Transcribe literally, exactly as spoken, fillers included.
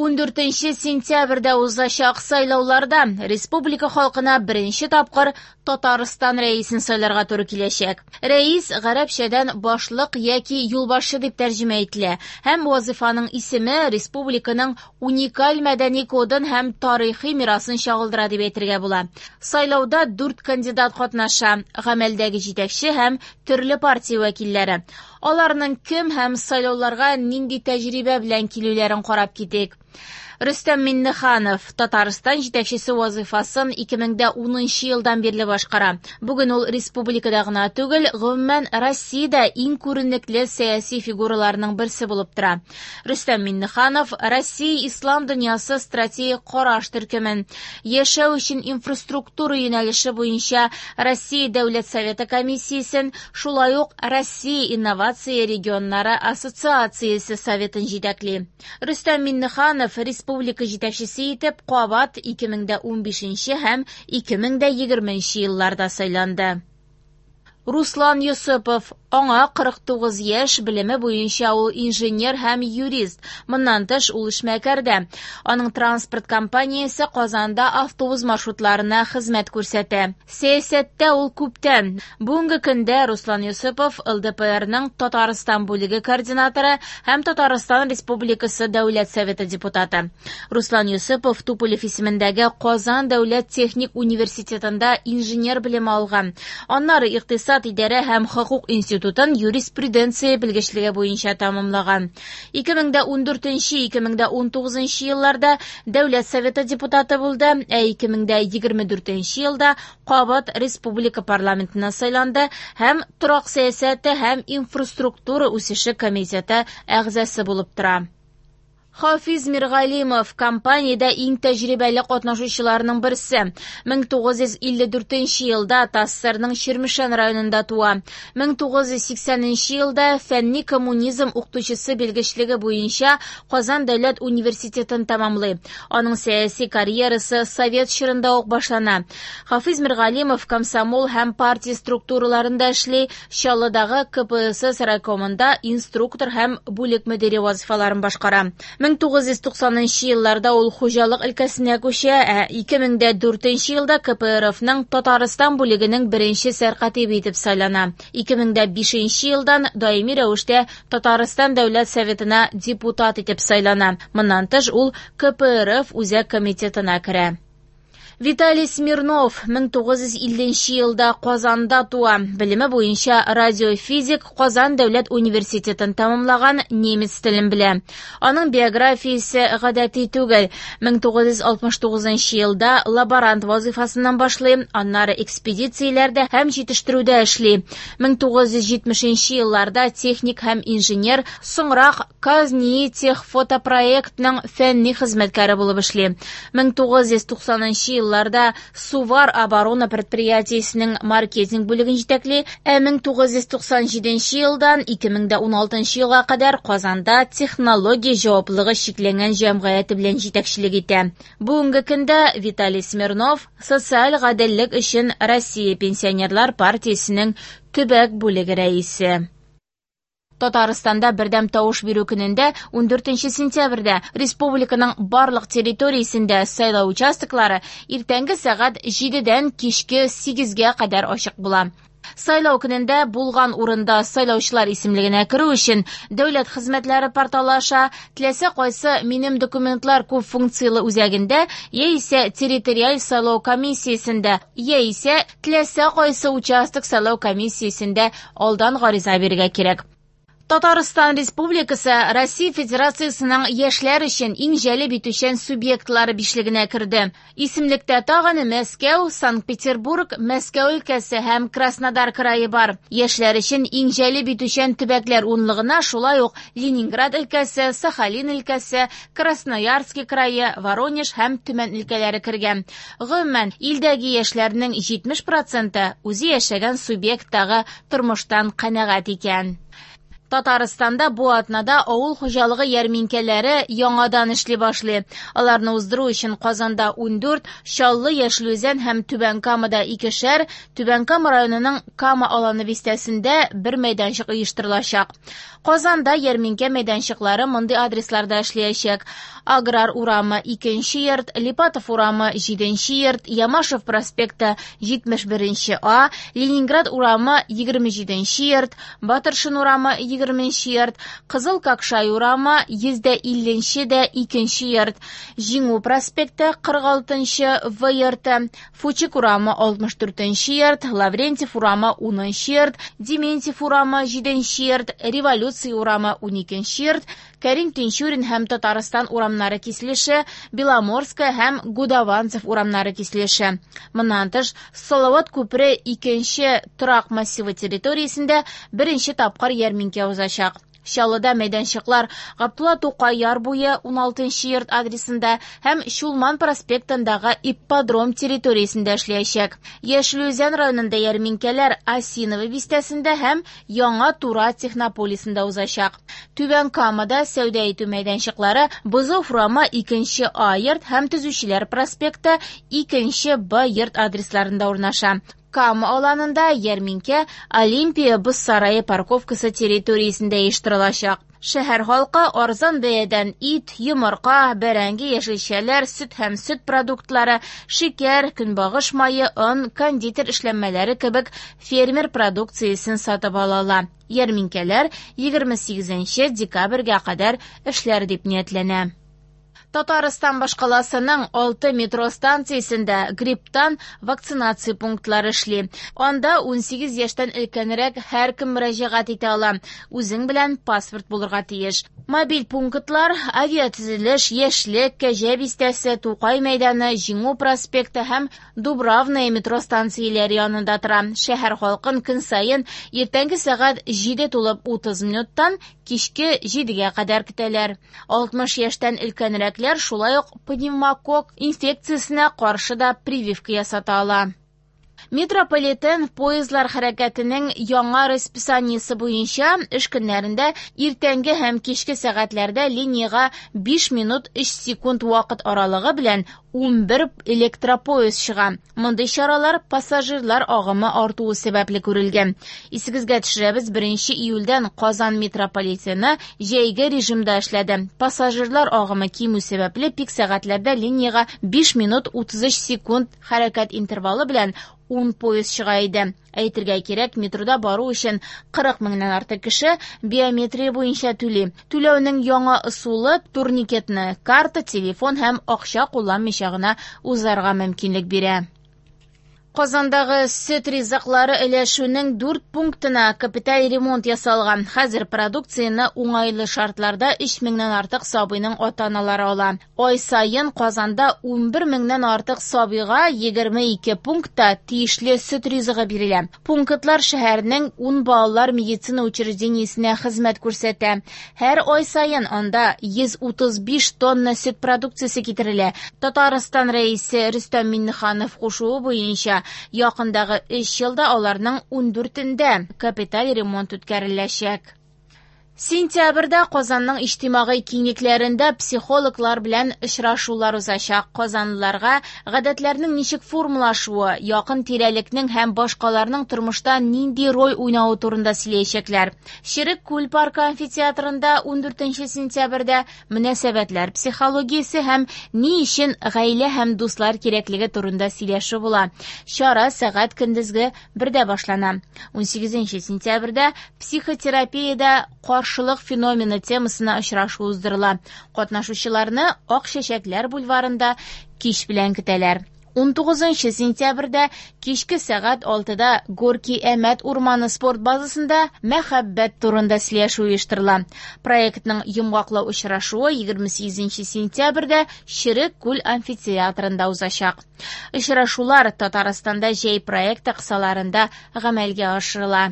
Ундүртенче сентябрьдә узачак сайлауларда республика халкына беренче тапкыр Татарстан рәисен сайларга туры киләчәк. Рәис гарәпчәдән башлык яки юлбашчы дип тәрҗемә ителә һәм вазифаның исеме республиканың уникаль мәдәни кодын һәм тарихи мирасын чагылдыра дип әйтергә була. Сайлауда дүрт кандидат катнаша: гамәлдәге җитәкче һәм төрле партия вәкилләре. Аларның кем һәм сайлауларга нинди тәҗрибә белән килүләрен карап китик. Рөстәм Миңнеханов Татарстан җитәкчесе вазифасын ике мең дә унынчы елдан бирле башкара. Бүген ул республикада гына түгел, гомумән Россиядә иң күренекле сәяси фигураларның берсе булып тора. Рөстәм Миңнеханов Россия Ислам дөньясы стратегик караш төркемен, яшәү өчен инфраструктура юнәлеше буенча Россия Дәүләт Советы комиссиясен, шулай ук Россия инновация регионнары ассоциациясе советын җитәкли. Рөстәм Миңнеханов республика җитәкчесе итеп кабат ике мең дә унбишенче һәм ике мең дә егерменче елларда сайланды. Руслан Йосыпов, аңа кырык тугыз яшь, белеме буенча ул инженер һәм юрист. Моннан тыш ул эшмәкәр дә. Аның транспорт компаниясе Казанда автобус маршрутларына хезмәт күрсәтә. Сәясәттә ул күптән. Бүгенге көндә Руслан Йосыпов Л Д П Рның Татарстан бүлеге координаторы һәм Татарстан Республикасы Дәүләт Советы депутаты. Руслан Йосыпов Туполев исемендәге Казан Дәүләт техник университетында инженер белеме алган. Аннары икътисад, идарә һәм хокук институтын юриспруденция белгечлеге буенча тәмамлаган. Ике мең дә ундүртенче, ике мең дә унтугызынчы елларда Дәүләт Советы депутаты булды, ә ике мең дә егерме дүртенче елда кабат республика парламентына сайланды һәм торак сәясәте һәм инфраструктура үсеше комитеты әгъзасы булып тора. Хафиз Миргалимов компаниядә иң тәҗрибәле катнашучыларның берсе. Мең тугыз йөз илле дүртенче елда ТАССРның Чирмешән районында туа. Мең тугыз йөз сиксәненче елда фәнни коммунизм укытучысы белгечлеге буенча Казан дәүләт университетын тәмамлый. Аның сәяси карьерасы совет чорында ук башлана. Хафиз Миргалимов комсомол һәм партия структураларында эшли, Чаллыдагы К П С С райкомында инструктор һәм бүлек мөдире вазифаларын башкара. Мең тугыз йөз туксанынчы елларда ул хуҗалык өлкәсенә күчә, ә ике мең дә дүртенче елда К П Р Фның Татарстан бүлегенең беренче сәркатибе итеп сайлана. Ике мең дә бишенче елдан даими рәвештә Татарстан Дәүләт Советына депутат итеп сайлана. Моннан тыш ул К П Р Ф Үзәк комитетына керә. Виталий Смирнов мең тугыз йөз илленче елда Казанда туа. Белеме буенча радиофизик, Казан дәүләт университетын тәмамлаган, немец телен белә. Аның биографиясе гадәти түгел. Мең тугыз йөз алтмыш тугызынчы елда лаборант вазифасыннан башлый, аннары экспедицияләрдә һәм җитештерүдә эшли. Мең тугыз йөз җитмешенче елларда техник һәм инженер, соңрак Казнитехфотопроектның фәнни хезмәткәре булып эшли. Мең тугыз йөз туксанынчы елларда Сувар оборона предприятиесенең маркетинг бүлеген җитәкли, ә мең тугыз йөз туксан җиденче елдан ике мең дә уналтынчы елга кадәр Казанда технология җаваплылыгы чикләнгән җәмгыяте белән җитәкчелек итә. Бүгенге көндә Виталий Смирнов социаль гаделлек өчен Россия пенсионерлар партиясенең төбәк бүлеге рәисе. Татарстанда бердәм тавыш бирү көнендә ундүртенче сентябрьдә республиканың барлык территориясендә сайлау участоклары иртәнге сәгать җидедән кичке сигезгә кадәр ачык була. Сайлау көнендә булган урында сайлаучылар исемлегенә керү өчен дәүләт хезмәтләре порталы аша теләсә кайсы минем документлар күп функцияле үзәгендә яисә территориаль сайлау комиссиясендә яисә теләсә кайсы участок сайлау комиссиясендә алдан гариза бирергә кирәк. Татарстан Республикасы Россия Федерациясының яшьләр өчен иң җәлеп итүчән субъектлары бишлегенә керде. Исемлектә тагын Мәскәү, Санкт-Петербург, Мәскәү өлкәсе һәм Краснодар крае бар. Яшьләр өчен иң җәлеп итүчән төбәкләр унлыгына шулай ук Ленинград өлкәсе, Сахалин өлкәсе, Красноярский крае, Воронеж һәм Төмән өлкәләре кергән. Гомумән, илдәге яшьләрнең җитмеш проценты үзе яшәгән субъекттагы тормыштан канәгать икән. Татарстанда бу атнада авыл хуҗалыгы ярминкәләре яңадан эшли башлый. Аларны уздыру өчен Казанда ундүрт, Чаллы, Яшел Үзән һәм Түбән Камада икешәр, Түбән Кама районының Кама аланы бистәсендә бер мәйданчык оештырылачак. Казанда ярминкә мәйданчыклары мондый адресларда эшләячәк. Аграр урамы икенче йорт, Липатов урамы җиденче йорт, Ямашев проспекты җитмеш беренче А, Ленинград урамы егерме җиденче йорт, Батыршин урамы егерменче йорт, Кызыл Какшай урамы йөз дә илленче дә икенче йорт, Җиңү проспекты кырык алтынчы В йорты, Фучик урамы алтмыш дүртенче йорт, Лаврентьев урамы унынчы йорт, Дементьев урамы җиденче йорт, Революция урамы уникенче йорт, Кәрим Тинчурин һәм Татарстан урамнары киселеше, Беломорская һәм Гудованцев урамнары киселеше. Моннан тыш, Салават күпере икенче торак массивы территориясендә беренче тапкыр ярминкә узачак. Чаллыда мәйданчыклар Габдулла Тукай яр буе уналтынчы йорт адресында һәм Чулман проспектындагы ипподром территориясендә эшләячәк. Яшел Үзән районында ярминкәләр Осиново бистәсендә һәм Яңа Тура технополисында узачак. Түбән Камада сәүдә итү мәйданчыклары Бозов урамы икенче А йорт һәм Төзүчеләр проспекты икенче Б йорт адресларында урнаша. Кама аланында ярминкә Олимпия боз сарае парковкасы территориясендә оештырылачак. Шәһәр халкы арзан бәядән ит, йомырка, бәрәңге, яшелчәләр, сөт һәм сөт продуктлары, шикәр, көнбагыш мае, он, кондитер эшләнмәләре кебек фермер продукциясен сатып ала ала. Ярминкәләр егерме сигезенче декабрьгә кадәр эшләр дип ниятләнә. Татарстан башкаласының алты метро станциясендә грипптан вакцинация пунктлары эшли. Анда унсигез яшьтән өлкәнрәк һәркем мөрәҗәгать итә ала. Үзең белән паспорт булырга тиеш. Мобиль пунктлар авиатөзелеш, Яшьлек, Кәҗә бистәсе, Тукай мәйданы, Җиңү проспекты һәм Дубравная метро станцияләре янында тора. Шәһәр халкын көн саен иртәнге сәгать җиде тулып утыз минуттан кичке җидегә кадәр көтәләр. Алтмыш яшьтән өлкәнрәкләр шулай ук пневмококк инфекциясенә каршы да прививка ясата ала. Метрополитен поездлар хәрәкәтенең яңа расписаниесе буенча эш көннәрендә иртәнге һәм кичке сәгатьләрдә линиягә биш минут өч секунд вакыт аралыгы белән унбер электропоезд чыга. Мондый чаралар пассажирлар агымы артуы сәбәпле күрелгән. Исегезгә төшерәбез, беренче июльдән Казан метрополитены җәйге режимда эшләде. Пассажирлар агымы кимү сәбәпле пик сәгатьләрдә линиягә биш минут утыз өч секунд хәрәкәт интервалы белән ун поезд чыга иде. Әйтергә кирәк, метрода бару өчен кырык меңнән артык кеше биометрия буенча түли. Түләүнең яңа ысулы турникетны карта, телефон һәм акча кулланмыйча гына узарга мөмкинлек бирә. Казандагы сөт ризыклары өләшүнең дүрт пунктына капиталь ремонт ясалган. Хәзер продукцияне уңайлы шартларда өч меңнән артык сабыйның ата-аналары ала. Ай саен Казанда унбер меңнән артык сабыйга егерме ике пунктта тиешле сөт ризыгы бирелә. Пунктлар шәһәрнең ун балалар медицина учреждениесенә хезмәт күрсәтә. Һәр ай саен анда йөз утыз биш тонна сөт продукциясе китерелә. Татарстан рәисе Рөстәм Миңнеханов кушуы буенча якындагы өч елда аларның ундүртендә капиталь ремонт үткәреләчәк. Сентябрьдә Казанның иҗтимагый киңлекләрендә психологлар белән очрашулар узачак. Казанлыларга гадәтләрнең ничек формалашуы, якын тирәлекнең һәм башкаларның тормышта нинди роль уйнавы турында сөйләячәкләр. Черек күл паркы амфитеатрында ундүртенче сентябрьдә мөнәсәбәтләр психологиясе һәм ни өчен гаилә һәм дуслар кирәклеге турында сөйләшү була. Чара сәгать көндезге бердә башлана. Унсигезенче сентябрьдә психотерапиядә каршылык феномены темасына очрашу уздырыла. Катнашучыларны Ак чәчәкләр бульварында кич белән көтәләр. Унтугызынчы сентябрьдә кичке сәгать алтыда Горки Әмәт урманы спорт базасында мәхәббәт турында сөйләшү оештырыла. Проектның йомгаклау очрашуы егерме сигезенче сентябрьдә Черек күл амфитеатрында узачак. Очрашулар Татарстанда җәй проекты кысаларында гамәлгә ашырыла.